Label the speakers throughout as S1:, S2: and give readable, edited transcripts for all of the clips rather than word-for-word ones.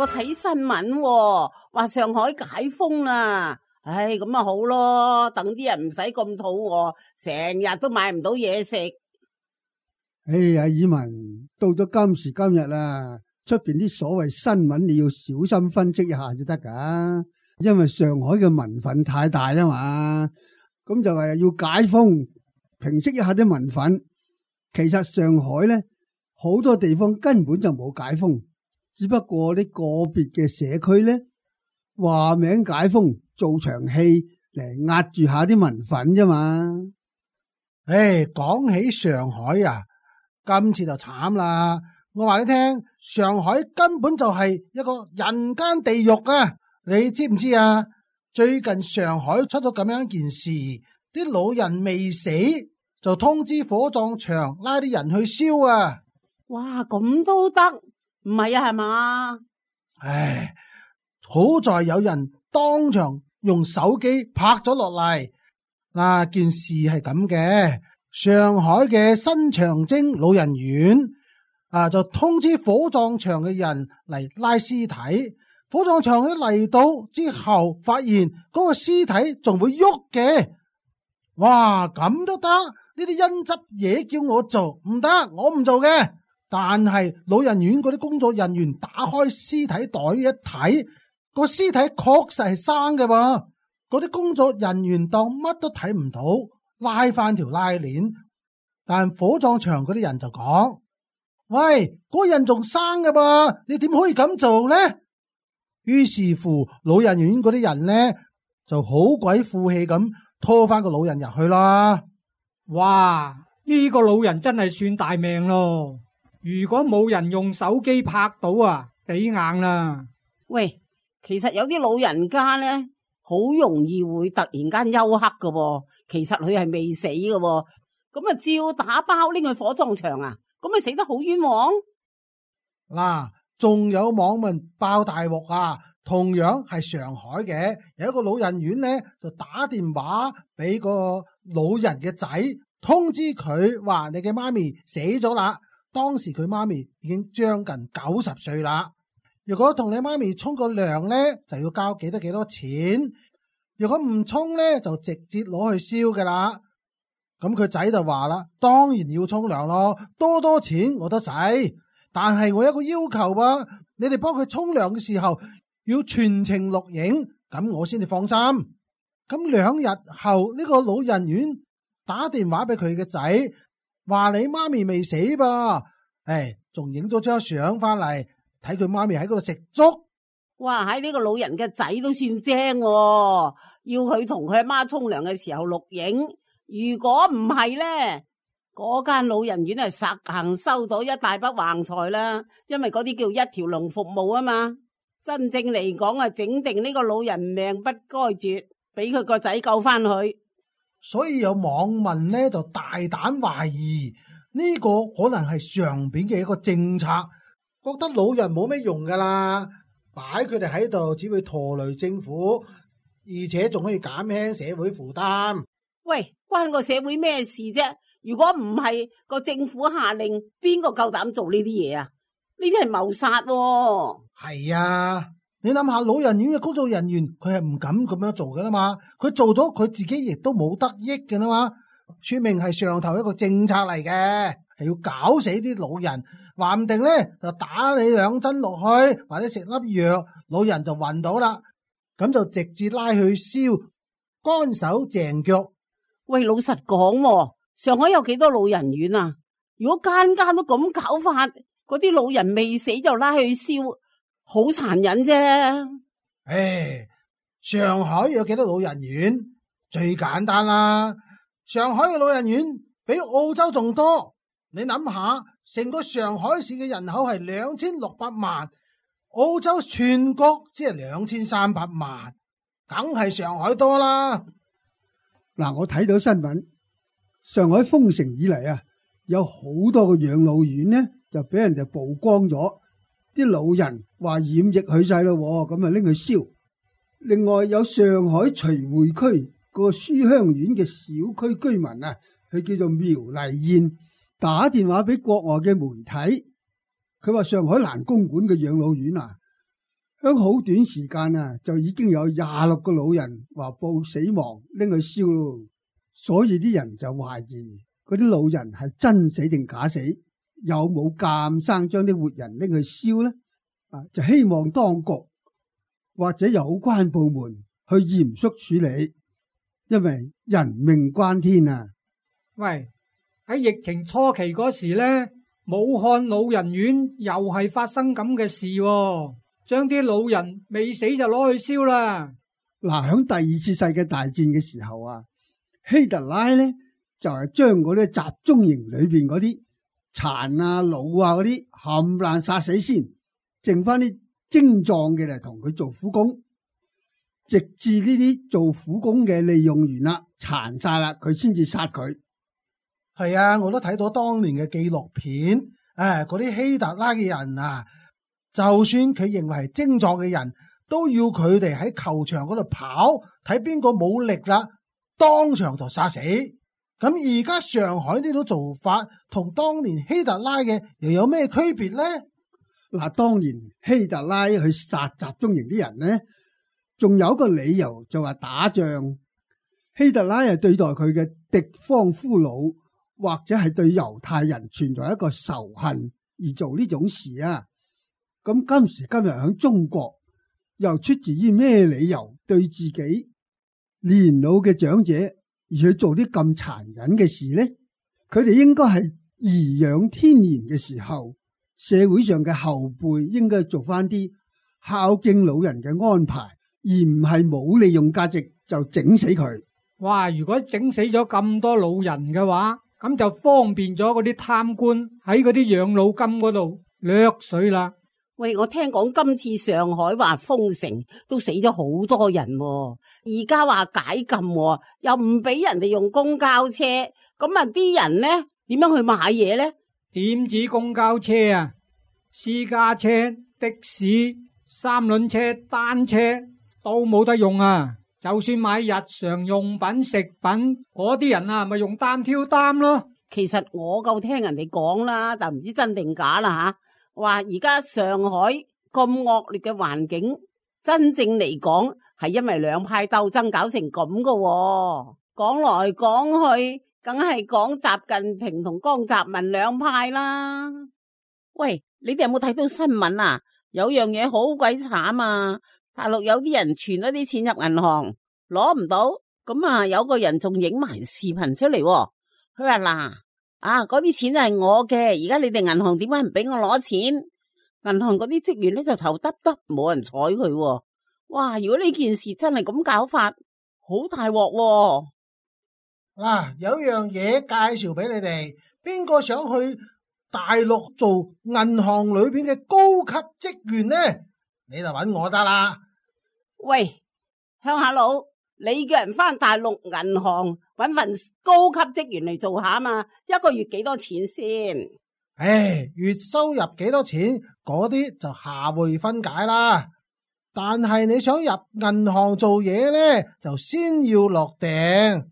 S1: 我睇新聞，話上海解封啦。唉，咁咪好咯，等啲人唔使咁肚餓，成日都買唔到嘢食。
S2: 哎呀，爾文，到咗今時今日啦，出邊啲所謂新聞你要小心分析一下就得噶，因為上海嘅民憤太大啊嘛，咁就係要解封，平息一下啲民憤。其實上海咧好多地方根本就冇解封，只不過啲個別嘅社區咧話名解封，做場戲嚟壓住下啲民憤啫嘛。
S3: 唉，講起上海啊，今次就慘啦！我話你聽，上海根本就係一個人間地獄啊！你知唔知啊？最近上海出咗咁樣一件事，啲老人未死就通知火葬場拉啲人去燒啊！
S1: 哇，咁都得？唔係啊，係嘛？
S3: 唉，好在有人當場用手機拍咗落嚟。嗱，件事係咁嘅，上海嘅新長征老人院就通知火葬場嘅人嚟拉屍體。火葬場一嚟到之後，發現嗰個屍體仲會喐嘅。哇，咁都得？呢啲陰質嘢叫我做唔得，我唔做嘅。但係老人院嗰啲工作人員打開屍體袋一睇，個屍體確實係生嘅噃。嗰啲工作人員當乜都睇唔到，拉翻條拉鏈。但火葬場嗰啲人就講：喂，嗰個人仲生嘅噃，你點可以咁做呢？於是乎，老人院嗰啲人呢就好鬼負氣咁拖翻個老人入去啦。
S4: 哇！呢個老人真係算大命咯。如果冇人用手機拍到啊，抵硬啦。
S1: 喂，其實有啲老人家呢，好容易會突然間休克噶喎，其實佢係未死噶喎，咁啊照打包拎去火葬場啊，咁咪死得好冤枉。
S3: 嗱，仲有網民爆大鑊啊，同樣係上海嘅，有一個老人院呢，就打電話俾個老人嘅仔，通知佢話你嘅媽咪死咗啦。當時佢媽咪已經將近90歲啦。如果同你媽咪沖個涼呢，就要交幾多錢。如果唔沖呢，就直接攞去燒噶啦。咁佢仔就話啦，當然要沖涼咯，多錢我都使。但係我有一個要求啊，你哋幫佢沖涼嘅時候要全程錄影，咁我先至放心。咁2日後呢個老人院打電話俾佢嘅仔，話你媽咪未死噃，仲影咗張相翻嚟，睇佢媽咪喺嗰度食粥。
S1: 哇，喺呢個老人嘅仔都算精喎，要佢同佢阿媽沖涼嘅時候錄影。如果唔係呢，嗰間老人院係實行收到一大筆橫財啦，因為嗰啲叫一條龍服務啊嘛。真正嚟講啊，整定呢個老人命不該絕，俾佢個仔救翻去。
S3: 所以有網民呢就大膽懷疑呢個可能係上邊嘅一個政策，覺得老人冇咩用噶啦，擺佢哋喺度只會拖累政府，而且仲可以減輕社會負擔。
S1: 喂，關個社會咩事啫？如果唔係個政府下令，邊個夠膽做呢啲嘢啊？呢啲係謀殺喎。
S3: 係啊，你諗下，老人院嘅工作人員佢係唔敢咁樣做噶啦嘛，佢做咗佢自己亦都冇得益嘅啦嘛，說明係上頭一個政策嚟嘅，係要搞死啲老人，話唔定咧就打你2針落去，或者食粒藥，老人就暈到啦，咁就直接拉去燒，乾手淨腳。
S1: 喂，老實講喎，上海有幾多老人院啊？如果間間都咁搞法，嗰啲老人未死就拉去燒，好殘忍啫。
S3: 上海有幾多老人院？最簡單啦，上海嘅老人院比澳洲仲多。你諗下，成個上海市嘅人口係2600萬，澳洲全國只係2300萬，梗係上海多啦。
S2: 嗱，我睇到新聞，上海封城以嚟啊，有好多個養老院呢就俾人哋曝光咗，啲老人話染疫去晒咯，咁啊拎去燒。另外有上海徐匯區個書香苑嘅小區居民啊，佢叫做苗麗燕，打電話俾國外嘅媒體，佢話上海蘭公館嘅養老院啊，響好短時間啊，就已經有26個老人話報死亡，拎去燒咯。所以啲人就懷疑嗰啲老人係真死定假死，有冇監生將啲活人拎去燒呢？就希望當局或者有關部門去嚴肅處理，因為人命關天啊！
S4: 喂，喺疫情初期嗰時呢，武漢老人院又係發生咁嘅事喎，將啲老人未死就攞去燒啦。
S2: 嗱，響第二次世界大戰嘅時候啊，希特拉呢就係將嗰啲集中營裏邊嗰啲殘啊老啊嗰啲冚唪唥殺死先，剩翻啲精壯嘅嚟同佢做苦工，直至呢啲做苦工嘅利用完啦，殘晒啦，佢先至殺佢。
S3: 係啊，我都睇到當年嘅紀錄片，嗰啲希特拉嘅人啊，就算佢認為係精壯嘅人，都要佢哋喺球場嗰度跑，睇邊個冇力啦，當場就殺死。咁而家上海呢種做法同當年希特拉嘅又有咩區別呢？
S2: 嗱，當年希特拉去殺集中營啲人呢，仲有一個理由就話打仗。希特拉係對待佢嘅敵方俘虜，或者係對猶太人存在一個仇恨而做呢種事啊。咁今時今日喺中國，又出自於咩理由對自己年老嘅長者而去做啲咁殘忍嘅事呢？佢哋應該係頤養天年嘅時候，社會上嘅後輩應該做翻啲孝敬老人嘅安排，而唔係冇利用價值就整死佢。
S4: 哇！如果整死咗咁多老人嘅話，咁就方便咗嗰啲貪官喺嗰啲養老金嗰度掠水啦。
S1: 喂，我聽講今次上海話封城都死咗好多人喎，而家話解禁喎，又唔俾人哋用公交車，咁啊啲人呢點樣去買嘢呢？
S4: 點止公交車啊，私家車、的士、三輪車、單車都冇得用啊！就算買日常用品、食品，嗰啲人啊咪用擔挑擔咯。
S1: 其實我夠聽人哋講啦，但唔知真定假啦吓。話而家上海咁惡劣嘅環境，真正嚟講係因為兩派鬥爭搞成咁噶喎。講來講去，梗係講習近平同江澤民兩派啦。喂，你哋有冇睇到新聞啊？有樣嘢好鬼慘啊！大陸有啲人存咗啲錢入銀行，攞唔到，咁啊有個人仲影埋視頻出嚟喎。佢話嗱，嗰啲錢係我嘅，而家你哋銀行點解唔俾我攞錢？銀行嗰啲職員咧就頭耷耷，冇人睬佢喎。哇！如果呢件事真係咁搞法，好大鑊喎。
S3: 嗱，有樣嘢介紹俾你哋，邊個想去大陸做銀行裏邊嘅高級職員呢？你就揾我得啦。
S1: 喂，鄉下佬，你叫人翻大陸銀行揾份高級職員嚟做下嘛？一個月幾多錢先？
S3: 月收入幾多錢嗰啲就下回分解啦。但係你想入銀行做嘢呢，就先要落訂。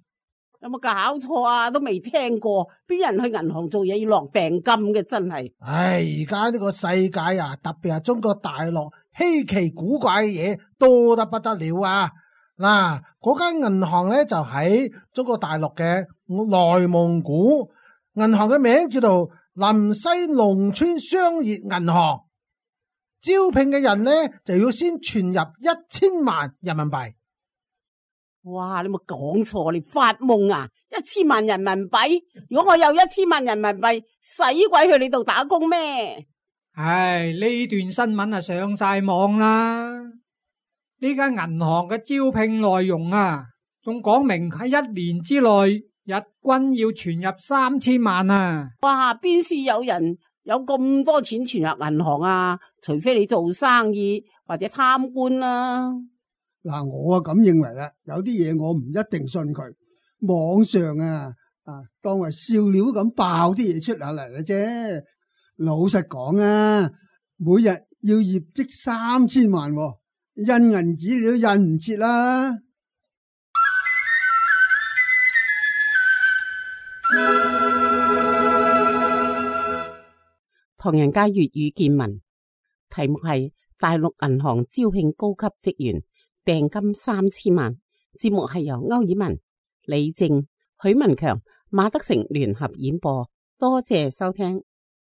S1: 有冇搞錯啊？都未聽過，邊人去銀行做嘢要落訂金嘅？真係。
S3: 而家呢個世界啊，特別係中國大陸，稀奇古怪嘅嘢多得不得了啊！嗱，嗰間銀行呢，就喺中國大陸嘅內蒙古，銀行嘅名叫做臨西農村商業銀行。招聘嘅人呢，就要先存入1000萬人民幣。
S1: 哇！你冇講錯，你發夢啊！1000萬人民幣，如果我有1000萬人民幣，使鬼去你度打工咩？
S4: 呢段新聞啊上晒網啦！呢間銀行嘅招聘內容啊，仲講明喺1年之內日均要存入3000萬啊！
S1: 哇！邊處有人有咁多錢存入銀行啊？除非你做生意或者貪官啦。
S2: 嗱，我咁認為啦，有啲嘢我唔一定信佢。網上當為笑料咁爆啲嘢出下嚟嘅啫。老實講啊，每日要業績3000萬，印銀紙你都印唔切啦。
S1: 唐人街粵語見聞，題目係大陸銀行招聘高級職員，訂金3000萬。節目係由歐爾文、李靜、許文強、馬德成聯合演播，多謝收聽。